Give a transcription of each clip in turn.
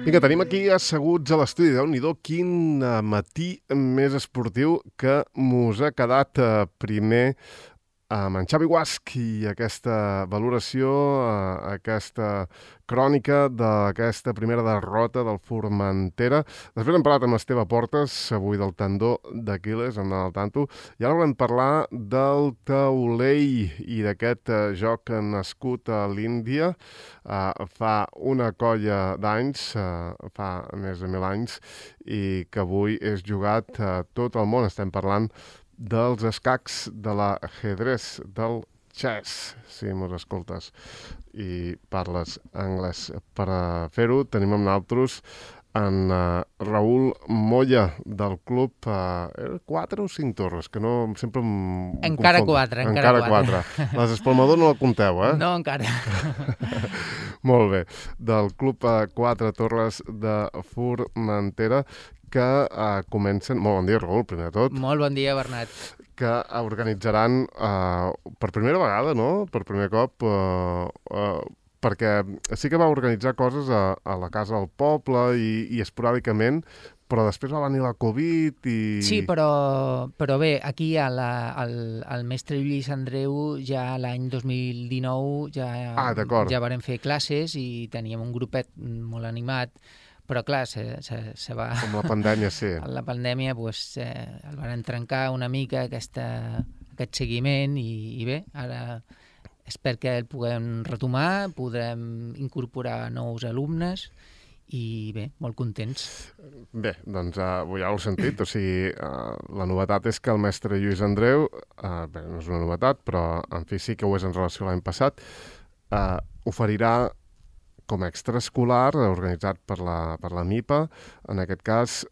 Vinga, tenim aquí asseguts a l'estudi. Déu-n'hi-do, quin matí més esportiu que mos ha quedat primer amb en Xavi Guasch i aquesta valoració, aquesta crònica d'aquesta primera derrota del Formentera. Després hem parlat amb Esteve Portes, avui del tendó d'Aquil·les, hem d'anar al tanto. I ara volem parlar del taulell i d'aquest joc nascut a l'Índia fa una colla d'anys, fa més de 1000 anys, i que avui és jugat a tot el món. Estem parlant dels escacs, de l'ajedrez, del chess, si mos escoltes i parles anglès. Per fer-ho tenim amb nosaltres en Raül Moya, del club 4 o 5 torres, que no sempre encara confon. 4. Encara 4. Les Espalmador no la compteu, eh? No, encara. Molt bé. Del club 4 torres de Formentera, que comencen... Molt bon dia, Raül, primer de tot. Molt bon dia, Bernat. Que organitzaran per primera vegada, no? Per primer cop, perquè sí que va organitzar coses a la Casa del Poble i esporàdicament, però després va venir la Covid i... Sí, però bé, aquí al mestre Lluís Andreu ja l'any 2019 ja varen fer classes i teníem un grupet molt animat, però clar, se va... Com la pandèmia, sí. La pandèmia el van trencar una mica aquest seguiment i bé, ara espero que el puguem retomar, podrem incorporar nous alumnes i bé, molt contents. Bé, doncs ja ho heu sentit, o sigui, la novetat és que el mestre Lluís Andreu, bé, no és una novetat, però en fi sí que ho és en relació a l'any passat, oferirà com a extraescolar, organitzat per la MIPA, en aquest cas,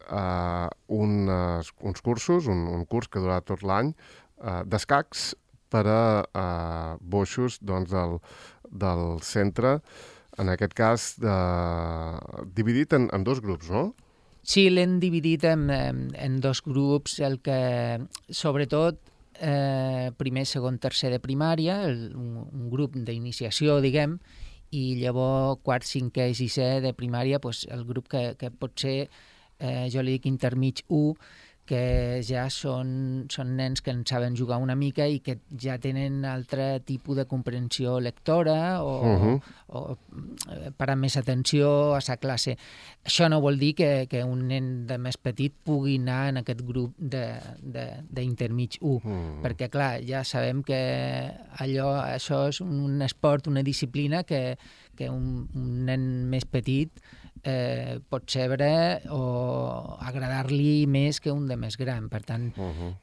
uns cursos, un curs que durarà tot l'any, d'escacs per a boixos doncs, del centre, en aquest cas dividit en dos grups, no? Sí, l'hem dividit en dos grups, el que sobretot primer, segon, tercer de primària, un grup d'iniciació, diguem, i llavors quart, cinquè i sisè de primària, el grup que pot ser, jo li dic intermig 1, que ja són nens que en saben jugar una mica i que ja tenen altre tipus de comprensió lectora o parar més atenció a sa classe. Això no vol dir que un nen de més petit pugui anar en aquest grup d'intermig 1, perquè clar, ja sabem que això és un esport, una disciplina que un nen més petit pot saber o agradar-li més que un de més gran. Per tant,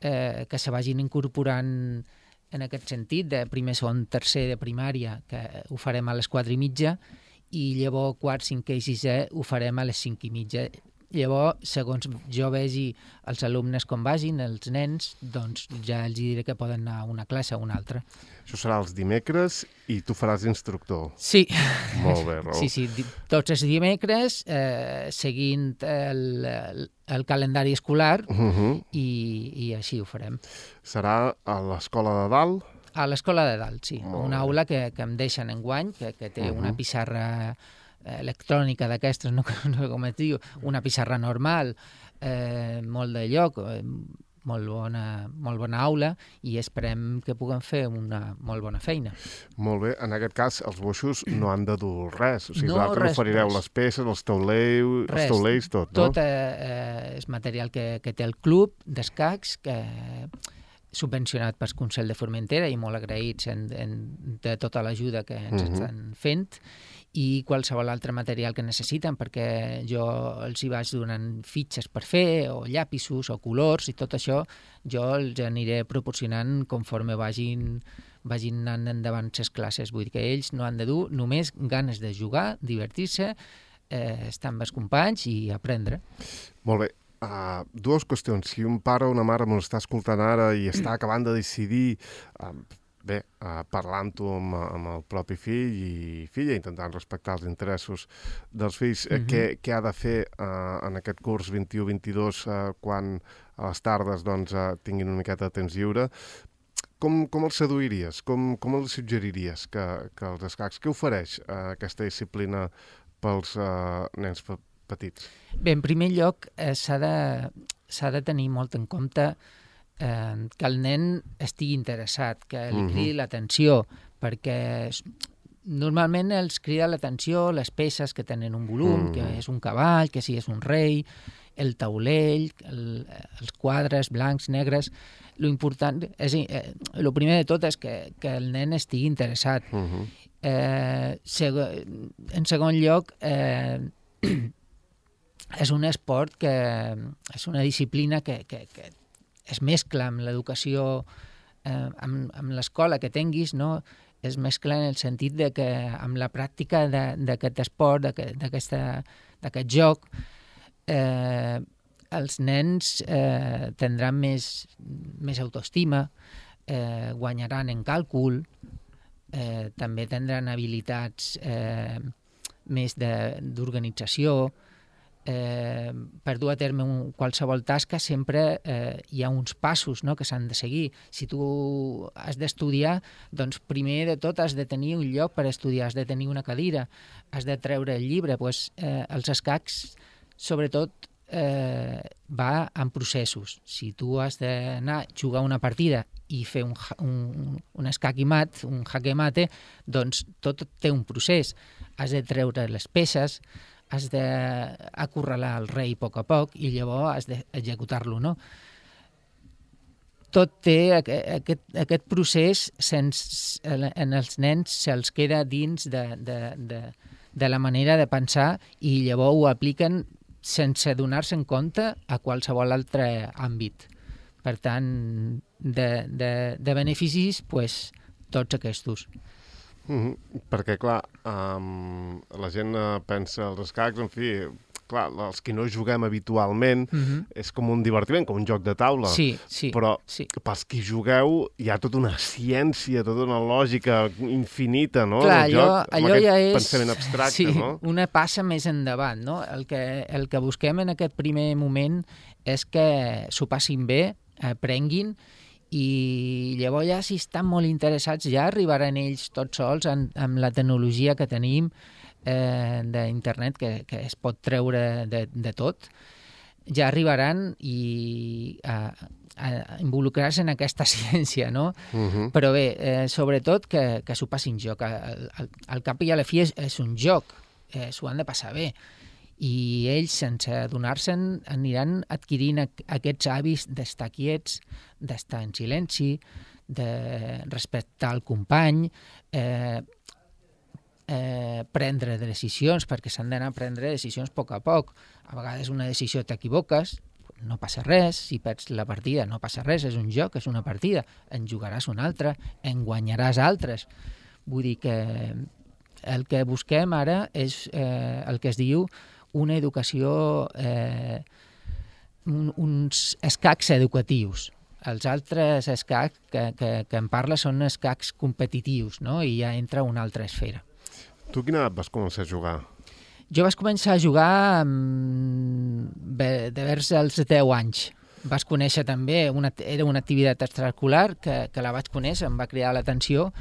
que se vagin incorporant en aquest sentit, de primer, segon, tercer de primària, que ho farem a les 4:30, i llavors quart, cinquè i sisè ho farem a les 5:30. Llavors, segons jo vegi els alumnes com vagin, els nens, doncs ja els diré que poden anar a una classe o a una altra. Això serà els dimecres i tu faràs d'instructor. Sí. Molt bé, Raül. Sí, tots els dimecres, seguint el calendari escolar i així ho farem. Serà a l'Escola de Dalt? A l'Escola de Dalt, sí. Una aula que em deixen enguany, que té una pissarra electrònica d'aquestes, no com es diu, una pissarra normal, molt de lloc, molt bona aula, i esperem que puguem fer una molt bona feina. Molt bé, en aquest cas els boixos no han de dur res, o sigui, vosaltres oferireu les peces, els taulells, tot, no? Tot és material que té el club d'escacs, que subvencionat pel Consell de Formentera i molt agraïts de tota l'ajuda que ens estan fent, i qualsevol altre material que necessiten, perquè jo els hi vaig donant fitxes per fer, o llapisos, o colors, i tot això jo els aniré proporcionant conforme vagin anant endavant les classes. Vull dir que ells no han de dur només ganes de jugar, divertir-se, estar amb els companys i aprendre. Molt bé. Dues qüestions. Si un pare o una mare m'ho està escoltant ara i està acabant de decidir... parlant-ho amb el propi fill i filla, intentant respectar els interessos dels fills, què ha de fer en aquest curs 21-22 quan a les tardes tinguin una miqueta de temps lliure? Com els seduiries? Com els suggeriries que els escacs... Què ofereix aquesta disciplina pels nens petits? Bé, en primer lloc, s'ha de tenir molt en compte que el nen estigui interessat, que li cridi l'atenció, perquè normalment els crida l'atenció les peces que tenen un volum, que és un cavall, que si és un rei, el taulell, els quadres blancs, negres. Lo important és, el primer de tot és que el nen estigui interessat. En segon lloc, és un esport que és una disciplina que es mescla amb l'educació, amb l'escola que tinguis, no? Es mescla en el sentit de que amb la pràctica d'aquest esport, d'aquest joc, els nens tindran més autoestima, guanyaran en càlcul, també tindran habilitats més d'organització. Per dur a terme qualsevol tasca sempre hi ha uns passos, no?, que s'han de seguir. Si tu has d'estudiar, doncs primer de tot has de tenir un lloc per estudiar, has de tenir una cadira, has de treure el llibre. Els escacs, sobretot, va en processos. Si tu has d'anar a jugar una partida i fer un escac i mat, un jaque mate, doncs tot té un procés. Has de treure les peces, has d'acorralar el rei a poc i llavors has d'executar-lo, no? Tot té aquest procés, en els nens se'ls queda dins de la manera de pensar i llavors ho apliquen sense donar-se en compte a qualsevol altre àmbit. Per tant, de beneficis, tots aquests. Perquè, clar, la gent pensa els escacs, en fi, clar, els que no juguem habitualment és com un divertiment, com un joc de taula. Sí. Però pels que jugueu hi ha tota una ciència, tota una lògica infinita, no? Clar, allò ja és pensament abstracte, no? Una passa més endavant, no? El que busquem en aquest primer moment és que s'ho passin bé, aprenguin, i llavors ja, si estan molt interessats, ja arribaran ells tots sols amb la tecnologia que tenim d'internet, que es pot treure de tot. Ja arribaran a involucrar-se en aquesta ciència, no? Però bé, sobretot que s'ho passin joc. Al cap i a la fi és un joc, s'ho han de passar bé. I ells, sense adonar-se'n, aniran adquirint aquests hàbits d'estar quiets, d'estar en silenci, de respectar el company, prendre decisions, perquè s'han d'anar a prendre decisions a poc. A vegades una decisió t'equivoques, no passa res, si perds la partida no passa res, és un joc, és una partida, en jugaràs una altra, en guanyaràs altres. Vull dir que el que busquem ara és el que es diu una educació, uns escacs educatius. Els altres escacs que en parla són escacs competitius, no? I ja entra una altra esfera. Tu quina edat vas començar a jugar? Jo vaig començar a jugar de vers als 10 anys. Vas conèixer també, era una activitat extraescolar que la vaig conèixer, em va cridar l'atenció,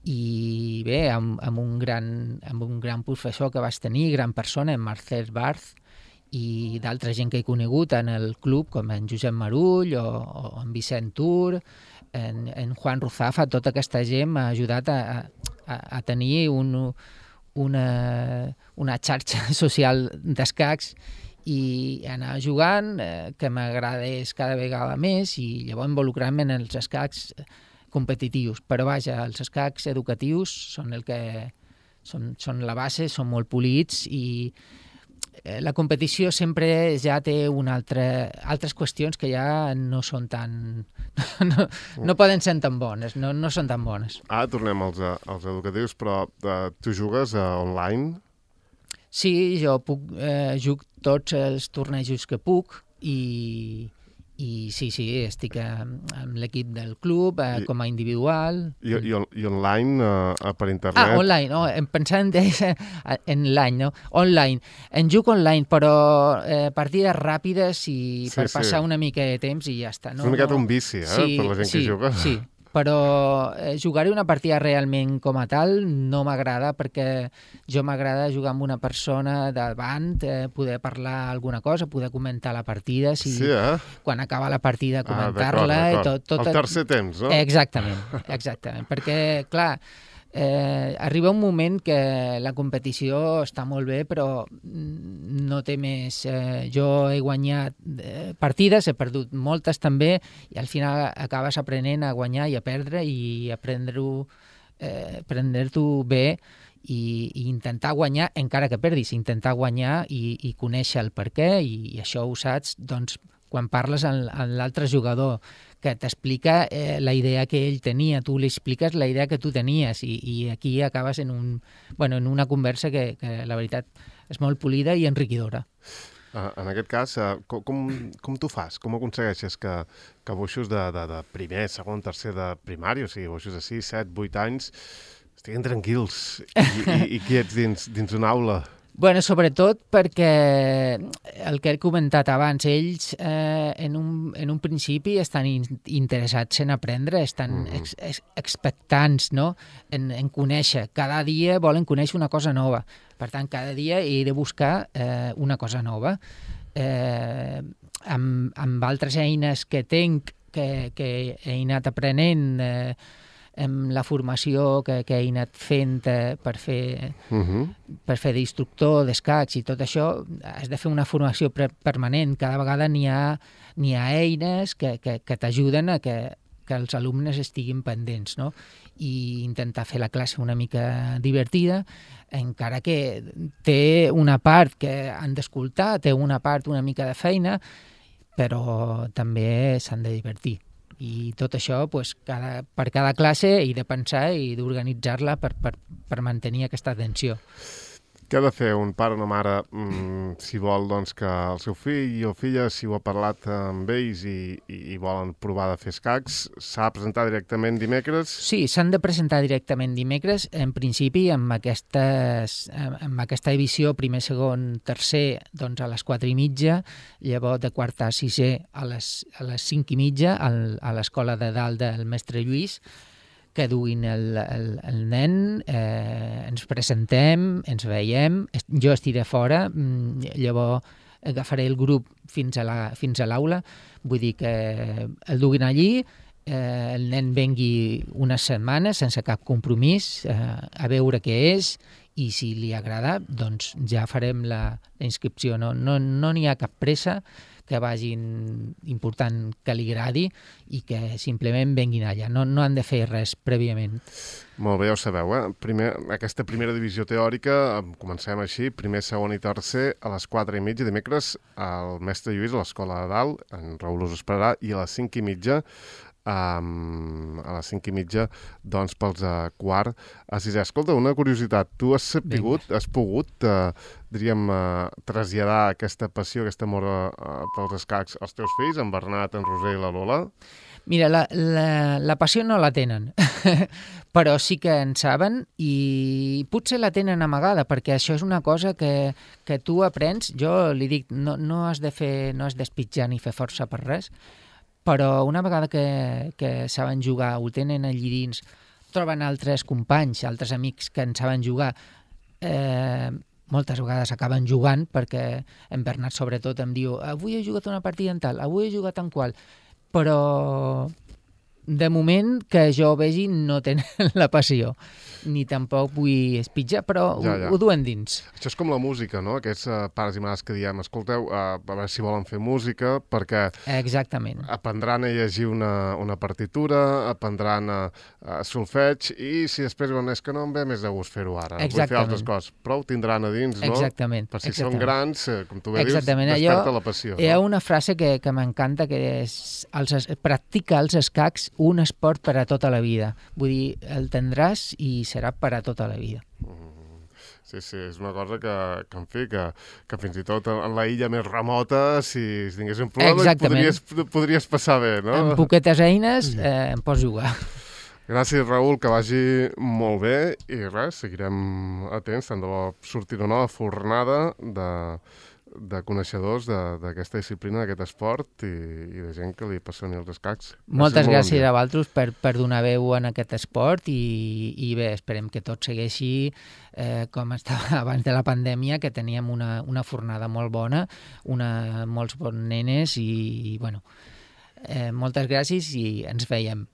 i bé, amb un gran professor que vas tenir, gran persona, en Marcel Barth, i d'altra gent que he conegut en el club, com en Josep Marull o en Vicent Tur, en Juan Ruzafa. Tota aquesta gent m'ha ajudat a tenir una xarxa social d'escacs i anar jugant, que m'agradés cada vegada més, i llavors involucrar-me en els escacs competitius. Però vaja, els escacs educatius són són la base, són molt polits, i la competició sempre ja té altres qüestions que ja no són tan... no poden ser tan bones, no són tan bones. Ara tornem als educatius, però tu jugues online? Sí, jo jugo tots els tornejos que puc, i sí, estic amb l'equip del club, com a individual. I online, per internet? Online, em pensava en l'any, no? Online. En jugo online, però partides ràpides i per passar una mica de temps i ja està. És una miqueta un vici, per la gent que juga. Sí, però jugar-hi una partida realment com a tal no m'agrada, perquè jo m'agrada jugar amb una persona davant, poder parlar alguna cosa, poder comentar la partida, quan acaba la partida comentar-la i tot. El tercer temps, no? Exactament, perquè, clar, arriba un moment que la competició està molt bé, però no té més. Jo he guanyat partides, he perdut moltes també, i al final acabes aprenent a guanyar i a perdre i a prendre-t'ho bé i intentar guanyar, encara que perdis, intentar guanyar i conèixer el per què, i això ho saps doncs, quan parles amb l'altre jugador, que t'explica la idea que ell tenia, tu li expliques la idea que tu tenies, i aquí acabes en una conversa que la veritat és molt polida i enriquidora. En aquest cas, com tu fas? Com aconsegueixes que boixos de primer, segon, tercer de primària, o sigui, boixos de 6, 7, 8 anys, estiguin tranquils i quiets dins una aula? Bueno, sobretot perquè el que he comentat abans, ells en un principi estan interessats en aprendre, estan expectants, no? en conèixer. Cada dia volen conèixer una cosa nova. Per tant, cada dia he de buscar una cosa nova. Amb altres eines que tinc, que he anat aprenent, amb la formació que he anat fent per fer d'instructor d'escacs i tot això, has de fer una formació permanent. Cada vegada n'hi ha eines que t'ajuden a que els alumnes estiguin pendents, no? I intentar fer la classe una mica divertida, encara que té una part que han d'escoltar, té una part una mica de feina, però també s'han de divertir. I tot això, per cada classe, he de pensar i d'organitzar-la per mantenir aquesta atenció. Què ha de fer un pare o una mare si vol que el seu fill o filla, si ho ha parlat amb ells i volen provar de fer escacs, s'ha de presentar directament dimecres? Sí, s'han de presentar directament dimecres, en principi amb aquesta divisió primer, segon, tercer, doncs a les 4:30, llavors de quart a sisè a les 5:30 a l'escola de dalt del mestre Lluís, que duguin el nen, ens presentem, ens veiem, jo estiré fora, llavors agafaré el grup fins a l'aula, vull dir que el duguin allí, el nen vengui unes setmanes sense cap compromís, a veure què és, i si li agrada, doncs ja farem la inscripció. No n'hi ha cap pressa, que vagin important que li agradi i que simplement venguin allà. No han de fer res prèviament. Molt bé, ja ho sabeu, aquesta primera divisió teòrica, comencem així, primer, segon i tercer, a les 4:30 dimecres, al mestre Lluís, a l'escola de dalt, en Raül us esperarà, i a les 5:30 doncs pels quart a sisè. Escolta, una curiositat, tu has pogut traslladar aquesta passió, aquest amor pels escacs als teus fills, en Bernat, en Roser i la Lola? Mira, la passió no la tenen, però sí que en saben, i potser la tenen amagada, perquè això és una cosa que tu aprens. Jo li dic, no has d'espitjar ni fer força per res, però una vegada que saben jugar, ho tenen allí dins, troben altres companys, altres amics que en saben jugar, moltes vegades acaben jugant, perquè en Bernat sobretot em diu avui he jugat una partida en tal, avui he jugat en qual, però de moment que jo vegi no tenen la passió, ni tampoc vull espitjar, però ho duen dins. Això és com la música, no? Aquests pares i mares que diem, escolteu, a veure si volen fer música, perquè exactament, aprendran a llegir una partitura, aprendran a solfeig, i si després diuen, és que no em ve més de gust fer-ho ara, vull fer altres coses, però ho tindran a dins, no? Exactament. Per si són grans, com tu bé dius, desperta la passió. Hi ha una frase que m'encanta, que és practica els escacs un esport per a tota la vida. Vull dir, el tindràs i serà per a tota la vida. Sí, és una cosa que fins i tot en la illa més remota, si tingués un problema, podries passar bé, no? Amb poquetes eines em pots jugar. Gràcies, Raül, que vagi molt bé, i res, seguirem atents, tant de bo sortir una nova fornada de coneixedors d'aquesta disciplina, d'aquest esport i de gent que li apassioni els escacs. Moltes gràcies a vosaltres per donar veu en aquest esport i bé, esperem que tot segueixi com estava abans de la pandèmia, que teníem una fornada molt bona, molts bons nenes i bueno, moltes gràcies i ens veiem.